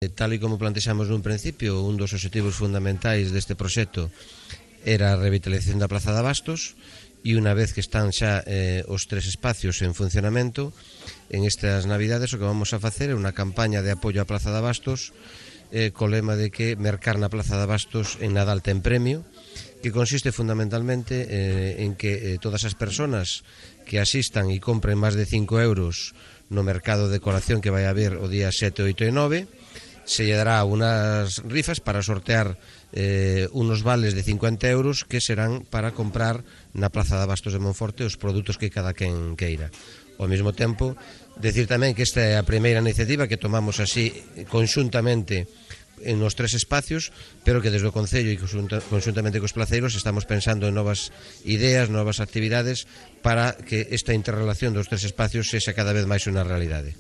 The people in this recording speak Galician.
Tal e como plantexamos nun principio, un dos obxectivos fundamentais deste proxecto era a revitalización da Praza de Abastos, e unha vez que están xa os tres espacios en funcionamento, en estas navidades o que vamos a facer é unha campaña de apoio á Praza de Abastos co lema de que mercar na Praza de Abastos en Nadal ten premio, que consiste fundamentalmente en que todas as persoas que asistan e compren máis de 5 euros no mercado de decoración que vai haber o día 7, 8 e 9, se lle dará unas rifas para sortear unos vales de 50 euros que serán para comprar na Praza de Abastos de Monforte os produtos que cada quen queira. Ao mesmo tempo, decir tamén que esta é a primeira iniciativa que tomamos así conxuntamente en os tres espacios, pero que desde o Concello e conxuntamente cos placeiros estamos pensando en novas ideas, novas actividades para que esta interrelación dos tres espacios sexa cada vez máis unha realidade.